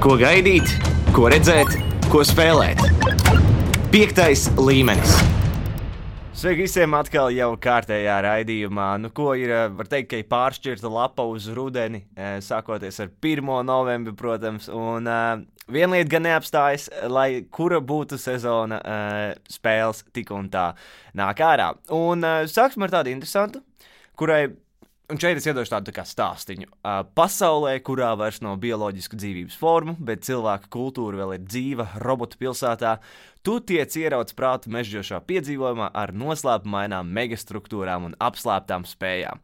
Ko gaidīt, ko redzēt, ko spēlēt. 5. līmenis. Sveiki visiem atkal jau kārtējā raidījumā. Ko ir, var teikt, ka ir pāršķirta lapa uz rudeni, sākoties ar 1. novembri, protams, un viena lieta gan neapstājas, lai kura būtu sezona spēles tik un tā nāk ārā. Un sāksim ar tādu interesantu, kurai, un šeit es iedošu tādu kā stāstiņu. Pasaulē, kurā vairs nav bioloģisku dzīvības formu, bet cilvēka kultūra vēl ir dzīva robotu pilsētā, tu tiec ierauts prātu mežģošā piedzīvojumā ar noslēpumainām megastruktūrām un apslēptām spējām.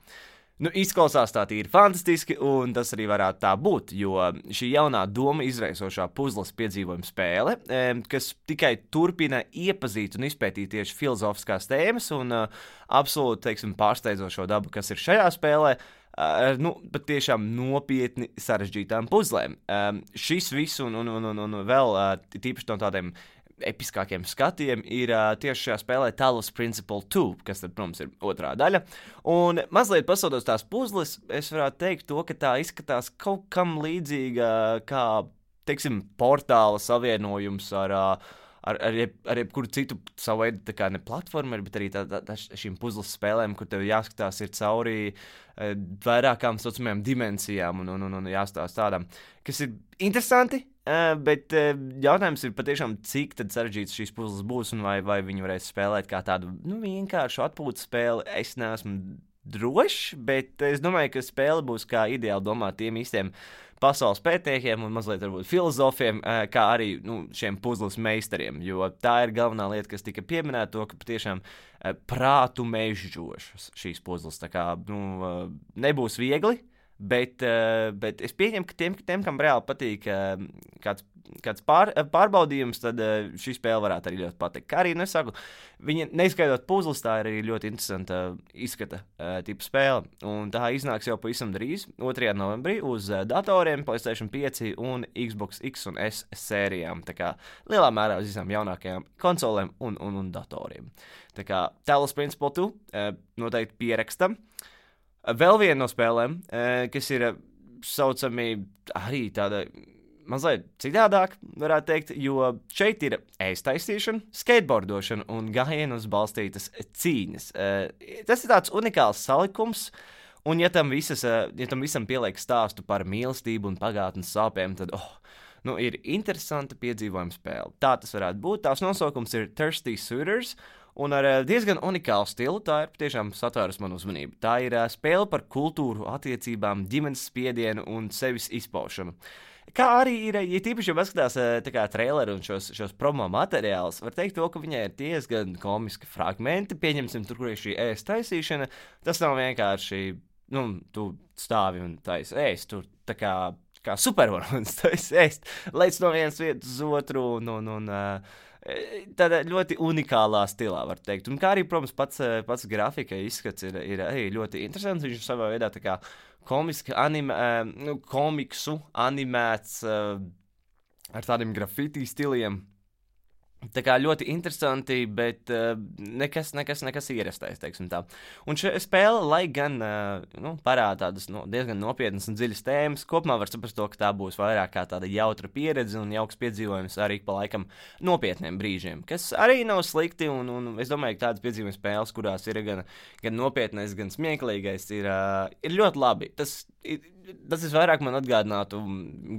Izklausās tā tīri fantastiski, un tas arī varētu tā būt, jo šī jaunā doma izraisošā puzles piedzīvojuma spēle, kas tikai turpina iepazīt un izpētīt tieši filozofiskās tēmas un absolūti, teiksim, pārsteidzošo dabu, kas ir šajā spēlē, pat tiešām nopietni sarežģītām puzlēm. Šis viss un vēl tīpaši no tādiem episkākiem skatiem ir tieši šajā spēlē Talos Principle 2, kas tad, protams, ir otrā daļa. Un mazliet pasaudos tās puzles, es varētu teikt to, ka tā izskatās kaut kam līdzīga kā, teiksim, portāla savienojums ar jebkuru citu savu veidu, tā kā ne platformeri, bet arī šīm puzles spēlēm, kur tev jāskatās ir cauri vairākām saucamajām dimensijām un jāstāsta tādām, kas ir interesanti. Bet jautājums ir patiešām, cik tad sarežģīts šīs puzles būs un vai viņi varēs spēlēt kā tādu vienkāršu atpūtas spēli. Es neesmu drošs, bet es domāju, ka spēle būs kā ideāli domāt tiem īstiem pasaules pētniekiem un mazliet varbūt filozofiem, kā arī šiem puzles meistariem, jo tā ir galvenā lieta, kas tika pieminēta, to, ka patiešām prātu mežģošas šīs puzles, tā kā nebūs viegli. Bet es pieņemu, ka tiem kam reāli patīk kāds pārbaudījums, tad šī spēle varētu arī ļoti patikt. Kā arī nesaku, viņa neizskaidrot puzles, tā ir arī ļoti interesanta izskata tipa spēle. Un tā iznāks jau pavisam drīz, 2. novembrī, uz datoriem, PlayStation 5 un Xbox X un S sērijām. Tā kā lielā mērā uz visām jaunākajām konsolēm un datoriem. Tā kā Talos Principle 2 noteikti pierakstam. Vēl viena no spēlēm, kas ir saucami arī tāda mazliet citādāk, varētu teikt, jo šeit ir ēstaisīšana, skateboardošana un gājienus balstītas cīņas. Tas ir tāds unikāls salikums, un ja tam visam pieliek stāstu par mīlestību un pagātnes sāpēm, tad ir interesanta piedzīvojuma spēle. Tā tas varētu būt. Tās nosaukums ir Thirsty Suitors, un ar diezgan unikālu stilu tā ir tiešām satvērus manu uzmanību. Tā ir spēle par kultūru, attiecībām, ģimenes spiedienu un sevis izpaušanu. Kā arī ir, ja tīpaši jau paskatās traileru un šos promo materiālus, var teikt to, ka viņai ir diezgan komiski fragmenti, pieņemsim tur, kur ir šī ēstaisīšana, tas nav vienkārši, tu stāvi un taisi ēst, tur tā kā supervaronis taisi ēst, lec no vienas vietas uz otru un tādā ļoti unikālā stilā, var teikt. Un kā arī, protams, pats grafika izskats ir arī ļoti interesants. Viņš savā veidā tā kā komiksu animēts ar tādiem grafiti stiliem. Tā kā ļoti interesanti, bet nekas ierastais, teiksim tā. Un šī spēle, lai gan parāda tādas diezgan nopietnas un dziļas tēmas, kopumā var saprast to, ka tā būs vairāk kā tāda jautra pieredze un jauks piedzīvojums arī pa laikam nopietniem brīžiem, kas arī nav slikti, un es domāju, ka tādas piedzīvojuma spēles, kurās ir gan nopietnais, gan smieklīgais, ir ļoti labi. Tas vairāk man atgādinātu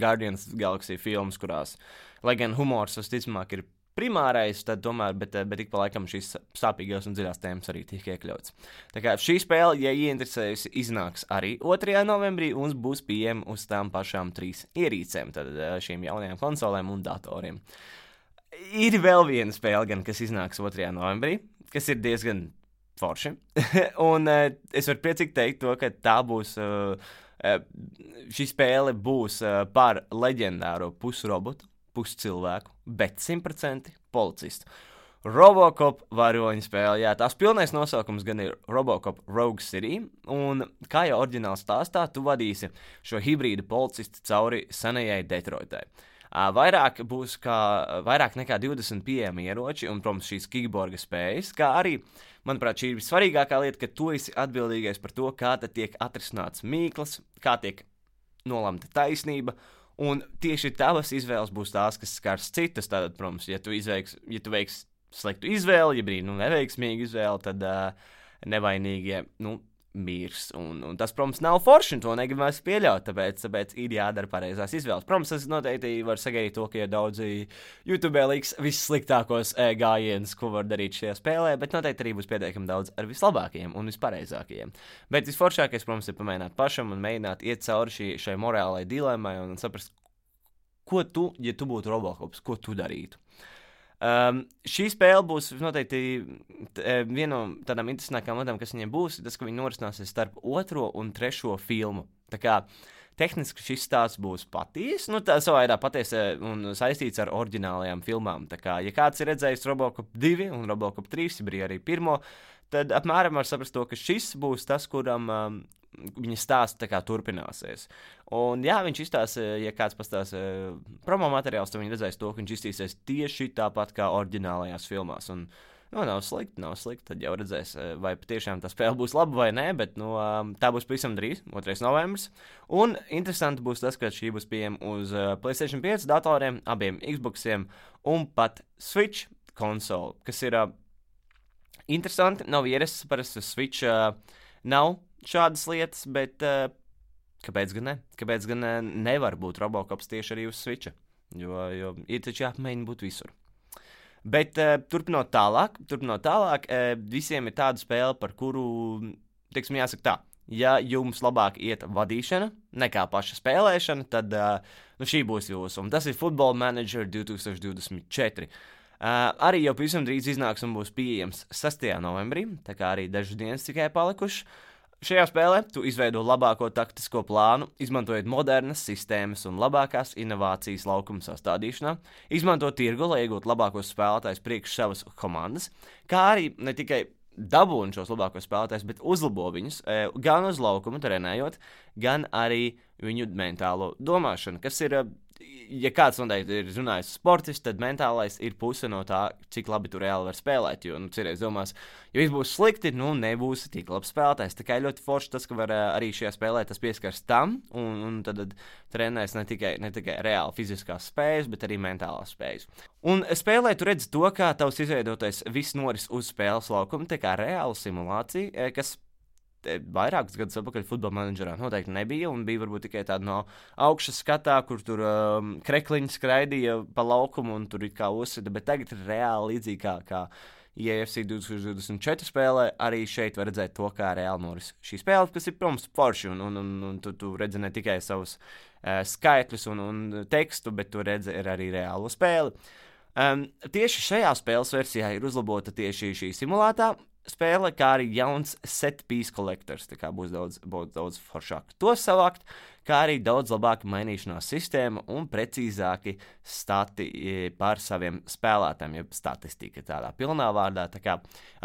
Guardians Galaxy filmas, kurās, lai gan humors visticamāk ir primārais, tad tomēr, bet ik pa laikam šīs sāpīgās un dziļās tēmas arī tiek iekļauts. Tā kā šī spēle, ja ieinteresējusi, iznāks arī 2. novembrī un būs pieejama uz tām pašām 3 ierīcēm, tad šīm jaunajām konsolēm un datoriem. Ir vēl viena spēle, gan, kas iznāks 2. novembrī, kas ir diezgan forši, un es varu priecīgi teikt to, ka tā būs, šī spēle būs par leģendāro pusrobotu, puscilvēku, bet 100% policistu. Robocop varoņu spēle, jā, tās pilnais nosaukums gan ir Robocop Rogue City, un kā jau oriģināli stāstā, tu vadīsi šo hibrīdu policistu cauri senajai Detroitai. Vairāk nekā 20 pieejami ieroči un, protams, šīs kickborga spējas, kā arī, manuprāt, šī ir svarīgākā lieta, ka tu esi atbildīgais par to, kā tad tiek atrisināts mīklas, kā tiek nolemta taisnība Un tieši tavas izvēles būs tās, kas skars citas. Tātad, protams, ja tu veiksi sliktu izvēli, ja brīdi neveiksmīgu izvēli, tad nevainīgie, mirs. Un tas, protams, nav forši, un to negribas pieļaut, tāpēc ir jādara pareizās izvēles. Protams, es noteikti varu sagaidīt to, ka ir daudzi YouTube liks vissliktākos gājienus, ko var darīt šajā spēlē, bet noteikti arī būs pietiekami daudz ar vislabākajiem un vispareizākajiem. Bet visforšākais, protams, ir pamēģināt pašam un mēģināt iet cauri šai morālai dilemmai un saprast, ko tu, ja tu būtu Robocops, ko tu darītu. Šī spēle būs noteikti viena no tādām interesantākām lietām, kas viņiem būs, tas, ka viņi norisināsies starp 2. un 3. filmu. Tā kā tehniski šis stāsts būs patīs, tā savā veidā patiesi un saistīts ar oriģinālajām filmām. Tā kā, ja kāds ir redzējis Robocop 2 un Robocop 3, bija arī 1, tad apmēram var saprast to, ka šis būs tas, kuram viņa stāsts turpināsies. Un jā, viņš izstāsta, ja kāds pastāsta promo materiāls, tad viņi redzēs to, ka viņš izstīsies tieši tāpat kā oriģinālajās filmās. Un, nav slikti, tad jau redzēs, vai patiešām tā spēle būs laba vai nē, bet tā būs pavisam drīz, 2. novembris. Un interesanti būs tas, ka šī būs pieejama uz PlayStation 5 datoriem, abiem Xboxiem un pat Switch konsoli, kas ir interesanti, nav ierasts, parasti Switch nav šādas lietas, bet kāpēc gan ne? Kāpēc gan nevar būt Robocops tieši arī uz Switcha? Jo ir taču jāpamēģina būt visur. Bet turpinot tālāk, visiem ir tāda spēle, par kuru, teiksim, jāsaka tā, ja jums labāk iet vadīšana nekā paša spēlēšana, tad šī būs jūsu. Un tas ir Football Manager 2024. Arī jau pavisam drīz iznāks un būs pieejams 6. novembrī, tā kā arī dažas dienas tikai palikušas. Šajā spēlē tu izveido labāko taktisko plānu, izmantojot modernas sistēmas un labākās inovācijas laukuma sastādīšanā, izmanto tirgu, lai iegūtu labākos spēlētājus priekš savas komandas, kā arī ne tikai dabūni šos labākos spēlētājus, bet uzlabo viņus gan uz laukuma trenējot, gan arī viņu mentālo domāšanu, kas ir, ja kāds noteikti ir runājis sportists, tad mentālais ir puse no tā, cik labi tu reāli var spēlēt, jo, cerēs domās, ja viss būs slikti, nebūs tik labs spēlētājs. Tā kā ļoti forši tas, ka var arī šajā spēlē tas pieskars tam, un tad trenēs ne tikai reāli fiziskās spējas, bet arī mentālās spējas. Un spēlē tu redzi to, kā tavs izveidotais viss noris uz spēles laukuma, tā kā reāla simulācija, kas vairākus gadus atpakaļ Football Managerā noteikti nebija, un bija varbūt tikai tāda no augšas skatā, kur tur krekliņi skraidīja pa laukumu un tur it kā uzsita, bet tagad ir reāli līdzīgi kā EAFC 2024 spēlē, arī šeit var redzēt to, kā reāli noris šī spēle, kas ir, protams, forši, un tu redzi ne tikai savus skaitļus un tekstu, bet tu redzi arī reālo spēli. Tieši šajā spēles versijā ir uzlabota tieši šī simulētā spēle, kā arī jauns set piece collectors, tā kā būs daudz foršāk to savākt, kā arī daudz labāka mainīšanās sistēma un precīzāki stati par saviem spēlētājiem, jeb statistika tādā pilnā vārdā, tā kā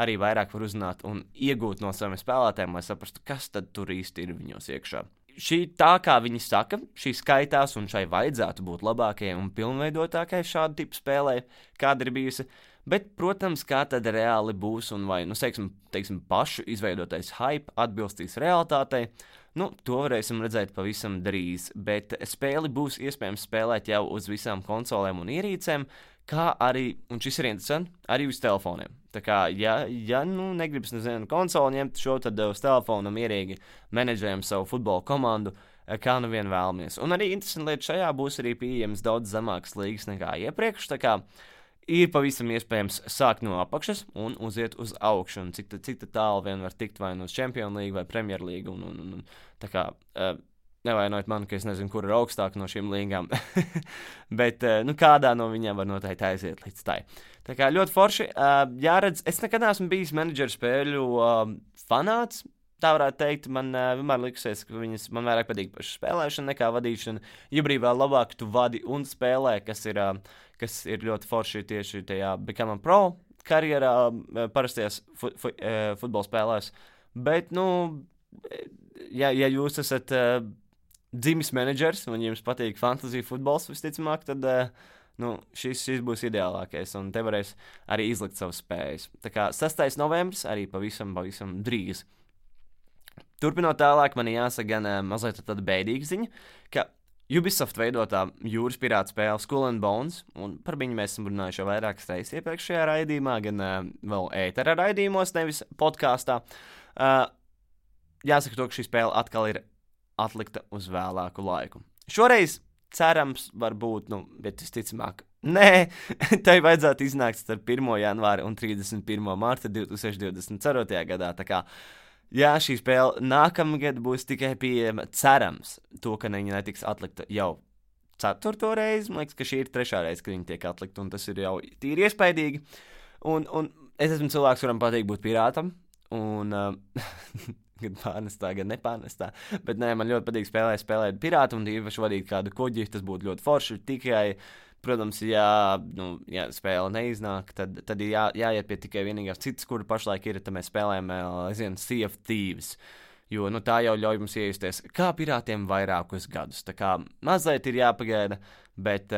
arī vairāk var uzzināt un iegūt no saviem spēlētājiem, lai saprastu, kas tad tur īsti ir viņos iekšā. Šī tā, kā viņi saka, šī skaitās un šai vajadzētu būt labākajai un pilnveidotākai šādu tipu spēlē, kāda ir bijusi. Bet, protams, kā tad reāli būs un vai, teiksim, pašu izveidotais hype atbilstīs realitātei, to varēsim redzēt pavisam drīz, bet spēli būs iespējams spēlēt jau uz visām konsolēm un ierīcēm, kā arī, un šis ir interesanti, arī uz telefoniem. Tā kā, ja negribas konsoli ņemt šo, tad uz telefonu mierīgi menedžējam savu futbola komandu, kā nu vien vēlamies. Un arī interesanti lieta šajā būs arī pieejams daudz zemākas līgas nekā iepriekš, tā kā ir pavisam iespējams sākt no apakšas un uziet uz augšu, un cik tālu vien var tikt vai no Champions League vai Premier League, un tā kā nevainojiet mani, ka es nezinu, kur ir augstāk no šīm līgām, bet kādā no viņām var noteikti aiziet līdz tai. Tā kā ļoti forši, jāredz, es nekad neesmu bijis menedžeru spēļu fanāts, tā varētu teikt, man vienmēr likusies, ka man vairāk patīk paša spēlēšana nekā vadīšana. Ja brīvā labāk tu vadi un spēlē, kas ir ļoti forši tieši tajā Become a Pro karjerā, parastajās futbola spēlēs. Bet, ja jūs esat dzimis menedžers un jums patīk fantasy futbols visticamāk, tad šis būs ideālākais, un te varēs arī izlikt savas spējas. Tā kā 6. novembris arī pavisam drīz. Turpinot tālāk, man jāsaka gan mazliet tāda bēdīga ziņa, ka Ubisoft veidotā jūras pirāta spēle Skull and Bones, un par viņu mēs esam runājuši jau vairākas reizes iepriekšējā raidījumā, gan vēl ētera raidījumos, nevis podkāstā. Jāsaka to, ka šī spēle atkal ir atlikta uz vēlāku laiku. Šoreiz cerams, varbūt, bet visticamāk, nē, tai vajadzētu iznākt starp 1. janvāri un 31. marta 2024. gadā. Tā kā, jā, šī spēle nākamgad būs tikai pieejama, cerams, to, ka viņa netiks atlikta jau 4. reizi. Man liekas, ka šī ir 3. reize, kad viņa tiek atlikta, un tas ir jau tīri iespaidīgi. Un es esmu cilvēks, kuram patīk būt pirātam, un gan pārnestā, gan nepārnestā. Bet nē, man ļoti patīk spēlēt pirātu un īpaši vadīt kādu kuģi. Tas būtu ļoti forši. Tikai, protams, ja spēle neiznāk, tad ir jāiet pie tikai vienīgās citas, kura pašlaik ir, tad mēs spēlējam, Sea of Thieves. Jo tā jau ļauj mums iejusties kā pirātiem vairākus gadus. Tā kā mazliet ir jāpagaida, bet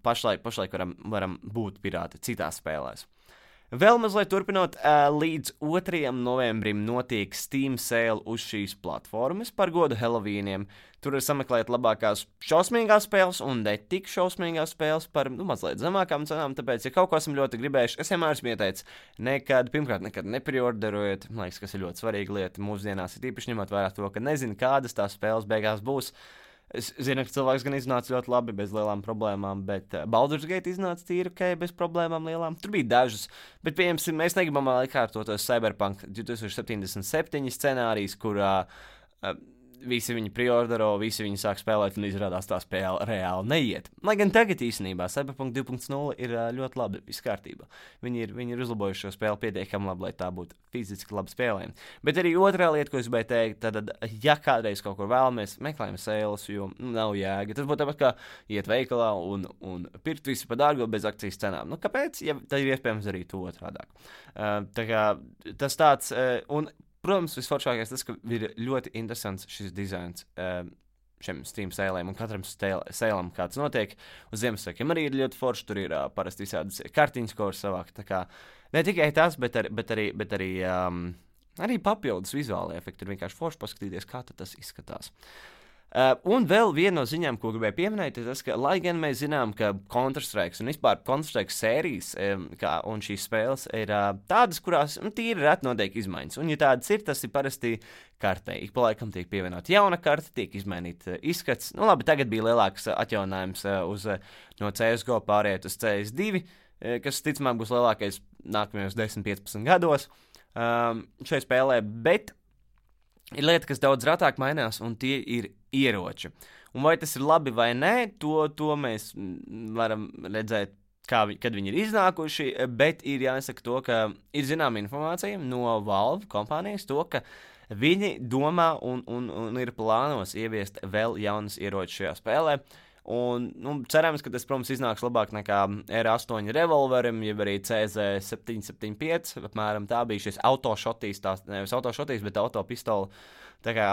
pašlaik varam būt pirāti citās spēlēs. Vēl mazliet turpinot, līdz 2. novembrim notiek Steam sale uz šīs platformas par godu Halloweeniem. Tur var sameklēt labākās šausmīgās spēles un ne tik šausmīgās spēles par mazliet zemākām cenām, tāpēc, ja kaut ko esam ļoti gribējuši, es vienmēr esmu ieteicis, nekad nepriorderojiet, man liekas, kas ir ļoti svarīga lieta mūsdienās, ir īpaši ņemot vērā to, ka nezinu, kādas tās spēles beigās būs. Es zinu, ka cilvēks gan iznāca ļoti labi, bez lielām problēmām, bet Baldur's Gate iznāca tīri ok, bez problēmām lielām. Tur bija dažas, bet, pieņemsim, mēs negribam atkārtotos Cyberpunk 2077 scenārijs, kurā visi viņi priordero, visi viņi sāk spēlēt un izrādās tā spēle reāli neiet. Lai gan tagad īstenībā Cyberpunk 2.0 ir ļoti labi, viss kārtībā. Viņi ir uzlabojuši šo spēli pietiekami labi, lai tā būtu fiziski labi spēlējama. Bet arī otrā lieta, ko es gribēju teikt, tad, ja kādreiz kaut kur vēlamies, meklējam sales, jo nav jēga. Tas būtu tāpat kā iet veikalā un pirkt visu par dārgu bez akcijas cenām. Kāpēc? Ja tad ir iespējams arī to otrādāk. Tā kā tas tāds, un protams, visforšākais tas, ka ir ļoti interesants šis dizains šiem Steam sēlēm un katram sēlam, kāds notiek. Uz Ziemassvētkiem arī ir ļoti forši, tur ir parasti visādas kartiņas, ko var savākt. Tā kā ne tikai tas, bet arī papildus vizuāli efekti. Ir vienkārši forši paskatīties, kā tas izskatās. Un vēl viena no ziņām, ko gribēju pieminēt, ir tas, ka, lai gan mēs zinām, ka Counter-Strike un vispār Counter-Strike sērijas un šīs spēles ir tādas, kurās tīri reti notiek izmaiņas. Un, ja tādas ir, tas ir parasti kartē. Ik pa laikam tiek pievienot jauna karte, tiek izmainīta izskats. Labi, tagad bija lielāks atjauninājums no CSGO pāriet uz CS2, kas, ticamāk, būs lielākais nākamajos 10-15 gados šai spēlē, bet ir lieta, kas daudz rātāk mainās, un tie ir ieroči. Un vai tas ir labi vai nē, to mēs varam redzēt, kad viņi ir iznākuši, bet ir jāsaka to, ka ir zināma informācija no Valve kompānijas to, ka viņi domā un ir plānos ieviest vēl jaunas ieročus šajā spēlē. Un, cerams, ka tas, protams, iznāks labāk nekā R8 revolverim, jeb arī CZ775, apmēram tā bija šis autošotīs, nevis autošotīs, bet autopistola. Tā kā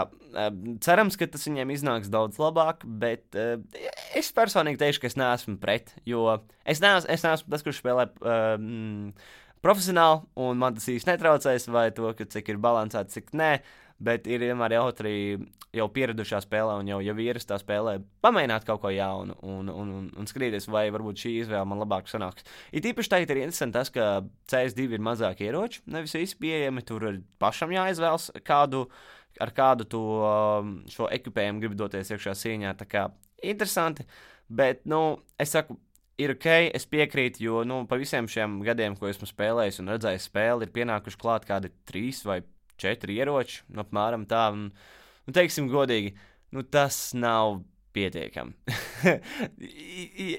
cerams, ka tas viņiem iznāks daudz labāk, bet es personīgi teikšu, ka es neesmu pret, jo es neesmu tas, kurš spēlē profesionāli, un man tas īsti netraucēs, vai to, ka cik ir balansēts, cik nē. Bet ir vienmēr jautri jau pieradušā spēlē un jau ierastā spēlē pamēģināt kaut ko jaunu un skatīties, vai varbūt šī izvēle man labāk sanāks. Ir īpaši tagad ir interesanti tas, ka CS2 ir mazāk ieroči, nevis visi pieejami, tur ir pašam jāizvēlas, ar kādu to šo ekipējumu grib doties iekšā cīņā. Tā kā interesanti, bet, es saku, ir ok, es piekrītu, jo, pa visiem šiem gadiem, ko esmu spēlējis un redzējis spēli, ir pienākuši klāt kādi 3 vai 4 ieroči, apmēram tā, un teiksim godīgi, tas nav pietiekami.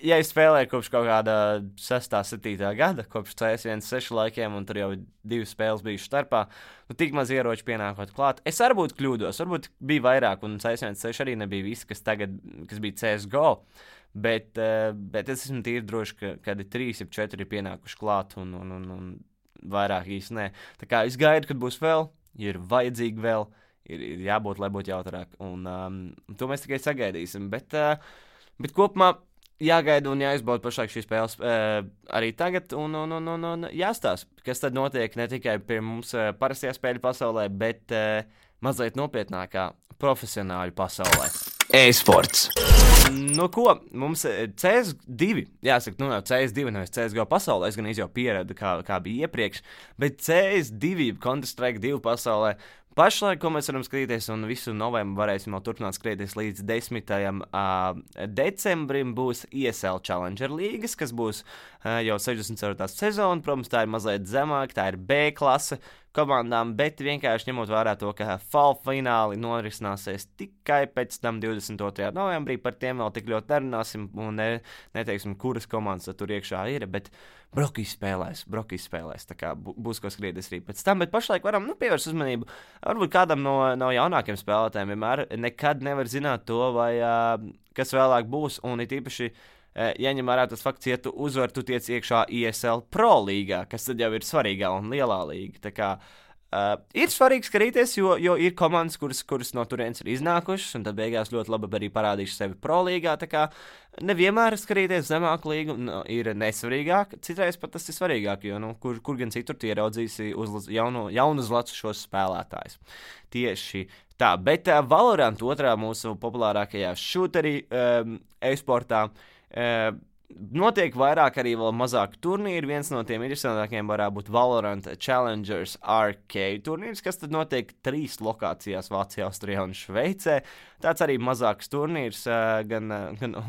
Ja es spēlēju kopš kaut kāda 6. 7. gada, kopš CS1.6 laikiem, un tur jau 2 spēles bijušas starpā, tik maz ieroči pienākot klāt. Es varbūt kļūdos, varbūt bija vairāk, un CS1.6 arī nebija viss, kas bija CSGO, bet es esmu tīri droši, ka 3 vai 4 ir pienākuši klāt, un vairāk īsti nē. Tā kā es gaidu, kad būs vēl, ir vajadzīgi vēl, ir jābūt, lai būtu jautrāk, un to mēs tikai sagaidīsim, bet kopumā jāgaida un jāizbauda pašlaik šīs spēles arī tagad, un jāstāsta, kas tad notiek ne tikai pie mums parastajā spēļu pasaulē, bet mazliet nopietnākā profesionāļu pasaulē. E-sports. Nu, ko? Mums CS2, jāsaka, nu, CS2 nevis CSGO pasaulē, es gan jau pieradu, kā bija iepriekš, bet CS2, Counter-Strike 2 pasaulē, pašlaik, ko mēs varam skatīties, un visu novembru varēsim vēl turpināt skatīties līdz 10. Decembrim, būs ESL Challenger līgas, kas būs jau 64. sezona. Protams, tā ir mazliet zemāk, tā ir B klase komandām, bet vienkārši ņemot vērā to, ka fall fināli norisināsies tikai pēc tam 22. novembrī, par tiem vēl tik ļoti nerunāsim un neteiksim, kuras komandas tur iekšā ir, bet Brokijs spēlēs, tā kā būs ko skrietis arī pēc tam, bet pašlaik varam pievērst uzmanību, varbūt kādam no jaunākiem spēlētājiem vienmēr nekad nevar zināt to, vai kas vēlāk būs, un it īpaši jaņem vērā tas fakts, ja tu uzvar, tu tiec iekšā ESL Pro līgā, kas tad jau ir svarīgā un lielā līga. Tā kā ir svarīgi skatīties, jo ir komandas, kuras no turienes ir iznākušas, un tad beigās ļoti labi arī parādījuši sevi Pro līgā. Tā kā nevienmēr skatīties zemāku līgu ir nesvarīgāk, citreiz pat tas ir svarīgāk, jo kur gan citur tu ieraudzīsi jaunus lecus šos spēlētājus. Tieši tā, bet Valorant otrā mūsu populārākajā šūterī e-sportā notiek vairāk arī vēl mazāk turnīri. Viens no tiem interesantākajiem varētu būt Valorant Challengers Arcade turnīrs, kas tad notiek 3 lokācijās Vācijā, Austrijā un Šveicē. Tāds arī mazāks turnīrs, gan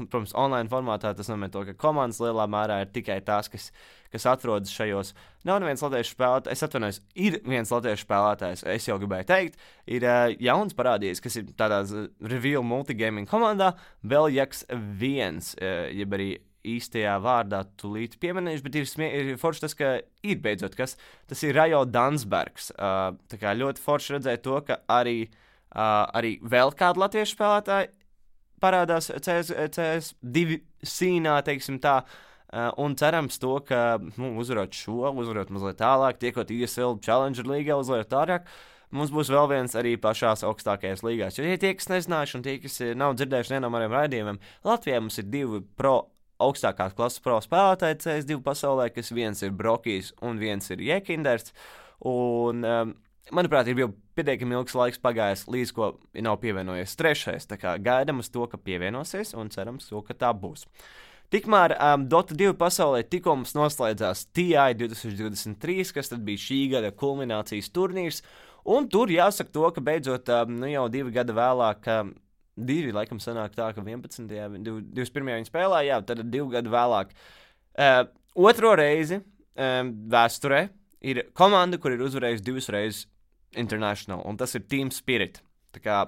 protams, online formātā. Tas nozīmē to, ka komandas lielā mērā ir tikai tās, kas atrodas šajos. Nav neviens latviešu spēlētājs, es atvainojos, ir viens latviešu spēlētājs, es jau gribēju teikt, ir jauns parādījies, kas ir tādā Reveal Multigaming komandā, Veljaks 1, jeb arī īstajā vārdā tūlīt pieminējuši, bet ir forši tas, ka ir beidzot kas, tas ir Rajo Dansbergs. Tā kā ļoti forši redzēt to, ka arī vēl kādu latviešu spēlētāju parādās CS2 sīnā, teiksim tā, un cerams to, ka uzvarot mazliet tālāk, tiekot ESL Challenger līgā, uzvarot tālāk, mums būs vēl viens arī pašās augstākajās līgās. Jo, ja tie, kas nezinājuši un tie, kas nav dzirdējuši vienam ar raidījumiem, Latvijā mums ir 2 augstākās klases pro spēlētāji CS2 pasaulē, kas viens ir Brokijs un viens ir Jekinders, un, manuprāt, ir jau pietiekami ilgs laiks pagājis, līdz ko nav pievienojies trešais, tā kā gaidam uz to, ka pievienosies, un cerams to, ka tā būs. Tikmēr Dota 2 pasaulē tikko mums noslēdzās TI 2023, kas tad bija šī gada kulminācijas turnīrs, un tur jāsaka to, ka beidzot jau 2 gada vēlāk, 2 laikam sanāk tā, ka 11. 21. viņi spēlē, jā, tad 2 gadu vēlāk. Otro reizi vēsturē ir komanda, kur ir uzvarējusi 2 reizes International, un tas ir Team Spirit. Tā kā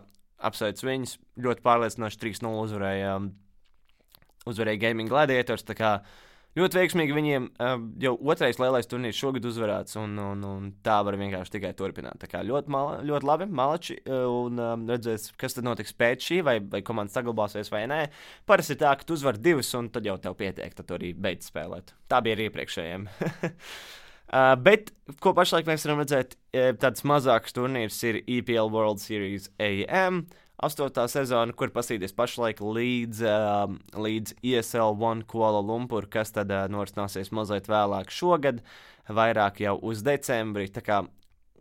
apsveic viņus, ļoti pārliecinoši 3-0 uzvarēja Gaming Gladiators, tā kā ļoti veiksmīgi viņiem jau otrais lielais turnīrs šogad uzvarēts, un tā var vienkārši tikai turpināt. Tā kā ļoti labi, malači, un redzēs, kas tad notiks pēc šī, vai komanda saglabāsies vai nē. Parasti ir tā, ka tu uzvar 2, un tad jau tev pietiek, tad tu arī beidz spēlēt. Tā bija arī iepriekšējiem. Bet, ko pašlaik mēs varam redzēt, tāds mazāks turnīrs ir EPL World Series AM, 8. sezona, kur pasīties pašlaik līdz ESL One Kuala Lumpur, kas tad norisināsies mazliet vēlāk šogad, vairāk jau uz decembri, tā kā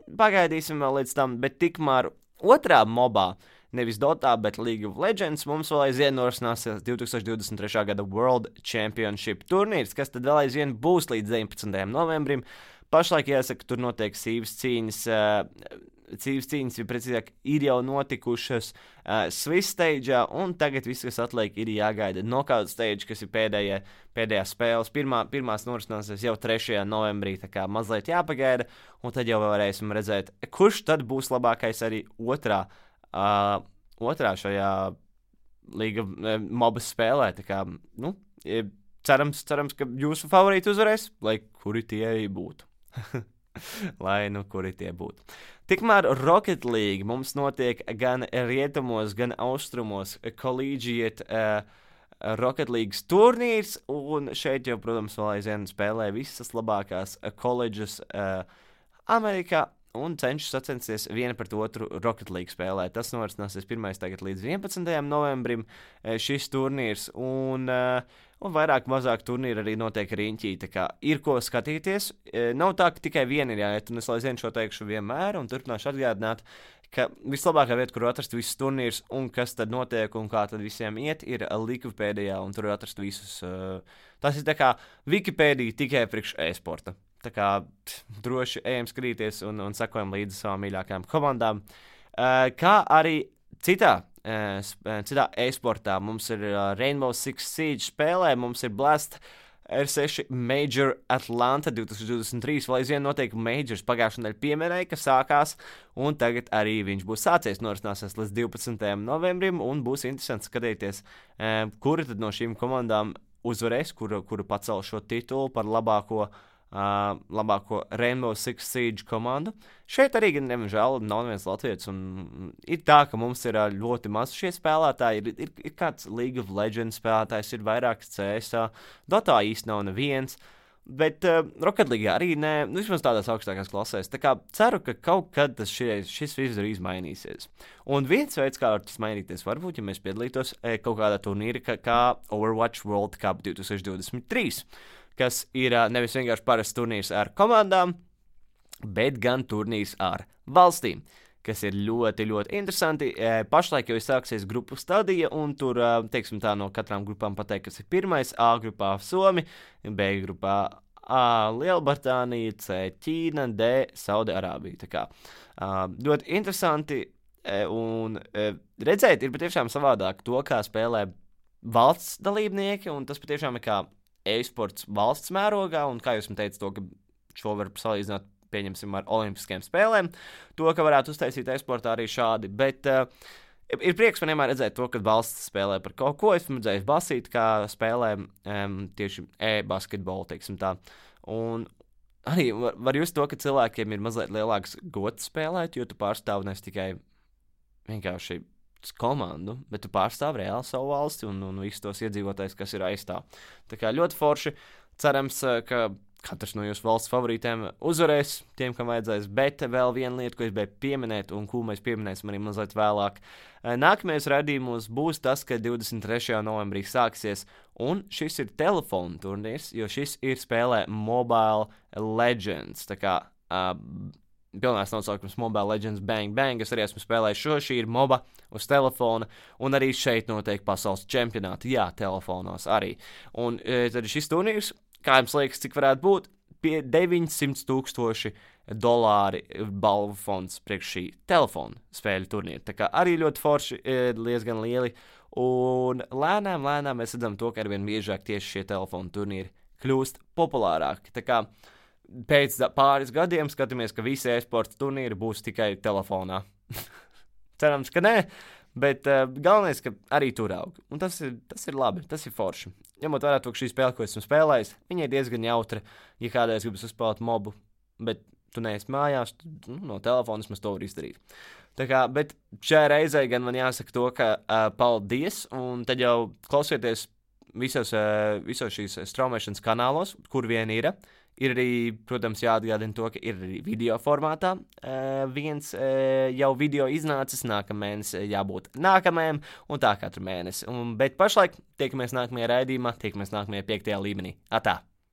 pagaidīsim vēl līdz tam, bet tikmēr otrā mobā, nevis Dotā, bet League of Legends, mums vēl aizvien norisināsies 2023. gada World Championship turnīrs, kas tad vēl aizvien būs līdz 19. novembrim. Pašlaik jāsaka, tur notiek sīvas cīņas, ja precīzāk ir jau notikušas Swiss stage'ā, un tagad viss, kas atliek, ir jāgaida knockout stage, kas ir pēdējās spēles. Pirmās norisināsies jau 3. novembrī, tā kā mazliet jāpagaida, un tad jau varēsim redzēt, kurš tad būs labākais arī otrā šajā līga mobas spēlē. Tā kā, cerams, ka jūsu favorīti uzvarēs, lai kuri tie arī būtu. Kuri tie būtu. Tikmēr Rocket League mums notiek gan rietumos, gan austrumos Collegiate Rocket League turnīrs, un šeit jau, protams, vēl aizvien spēlē visas labākās koledžas Amerikā, un cenšas sacensties viena pret otru Rocket League spēlē. Tas norisināsies 1. tagad līdz 11. novembrim šis turnīrs, un vairāk mazāk turnīri arī notiek riņķī, tā kā ir ko skatīties. Nav tā, ka tikai viena ir jāiet, un es aizvien šo teikšu vienmēr, un turpināšu atgādināt, ka vislabākā vieta, kur atrast visus turnīrus un kas tad notiek un kā tad visiem iet, ir Wikipēdijā, un tur atrast visus. Tas ir tā kā Wikipēdija tikai priekš e-sporta. Tā kā droši ejam skatīties un sekojam līdzi savām mīļākajām komandām. Kā arī citā e-sportā mums ir Rainbow Six Siege spēlē, mums ir Blast R6 Major Atlanta 2023, vēl aizvien notiek Majors pagājušajā nedēļā pieminēja, ka sākās, un tagad arī viņš būs sācies, norisināsies līdz 12. novembrim, un būs interesanti skatīties, kura tad no šīm komandām uzvarēs, kuru pacel šo titulu par labāko Rainbow Six Siege komandu. Šeit arī, diemžēl, nav neviens latvietis, un ir tā, ka mums ir ļoti maz šie spēlētāji, ir kāds League of Legends spēlētājs, ir vairāks CS, Dotā īsti nav neviens, bet Rocket League arī nē, vismaz tādās augstākās klasēs, tā kā ceru, ka kaut kad šis viss arī mainīsies. Un viens veids, kā var tas mainīties, varbūt, ja mēs piedalītos kaut kādā turnīra kā Overwatch World Cup 2023, kas ir nevis vienkārši parasts turnīrs ar komandām, bet gan turnīrs ar valstīm, kas ir ļoti, ļoti interesanti. Pašlaik jau ir sāksies grupu stadija, un tur, teiksim tā, no katrām grupām pateikt, kas ir pirmais. A grupā Somi, B grupā A Lielbritānija, C Ķīna, D Saudi-Arābija. Tā kā ļoti interesanti, un redzēt ir patiešām savādāk to, kā spēlē valsts dalībnieki, un tas patiešām ir kā e-sports valsts mērogā, un kā jūs man teicat to, ka šo var salīdzināt, pieņemsim, ar olimpiskajām spēlēm, to, ka varētu uztaisīt e-sportā arī šādi, bet ir prieks man vienmēr redzēt to, ka valsts spēlē par kaut ko, esmu redzējis basīt, kā spēlē tieši e-basketbolu, teiksim tā, un arī var just to, ka cilvēkiem ir mazliet lielāks gods spēlēt, jo tu pārstāv nes tikai vienkārši komandu, bet tu pārstāv reāli savu valsti un visus tos iedzīvotājus, kas ir aizstāv. Tā kā ļoti forši, cerams, ka katrs no jūsu valsts favorītiem uzvarēs, tiem, kam vajadzēs, bet vēl viena lieta, ko es biju pieminēt, un ko mēs pieminēsim arī mazliet vēlāk. Nākamajos raidījumos būs tas, ka 23. novembrī sāksies, un šis ir telefonu turnīrs, jo šis ir spēlē Mobile Legends, tā kā pilnās nosaukums Mobile Legends Bang Bang, es arī esmu spēlējis šī ir MOBA uz telefona, un arī šeit notiek pasaules čempionāti, jā, telefonos arī. Un tad šis turnīrs, kā jums liekas, cik varētu būt, pie $900,000 balvu fonds priekš šī telefona spēļu turnīra. Tā kā arī ļoti forši, diezgan lieli, un lēnām mēs redzam to, ka arvien biežāk tieši šie telefona turnīri kļūst populārāki. Tā kā pēc pāris gadiem skatāmies, ka visi e-sporta turnīri būs tikai telefonā. Cerams, ka nē, bet galvenais, ka arī tur aug. Un tas ir labi, tas ir forši. Ņemot vērā to, ka šī spēle, ko esmu spēlējis, viņa ir diezgan jautra, ja kādreiz gribas uzspēlēt mobu, bet tu neesi mājās, no telefona mēs to var izdarīt. Tā kā, bet šajā reizē gan man jāsaka to, ka paldies, un tad jau klausieties visos šīs straumēšanas kanālos, kur vien ir. Ir arī, protams, jāatgādina to, ka ir arī video formātā. Viens jau video iznācis, nākamēnes jābūt nākamajam, un tā katru mēnesi. Bet pašlaik tiekamies nākamajā raidījumā, tiekamies nākamajā 5. līmenī. Atā!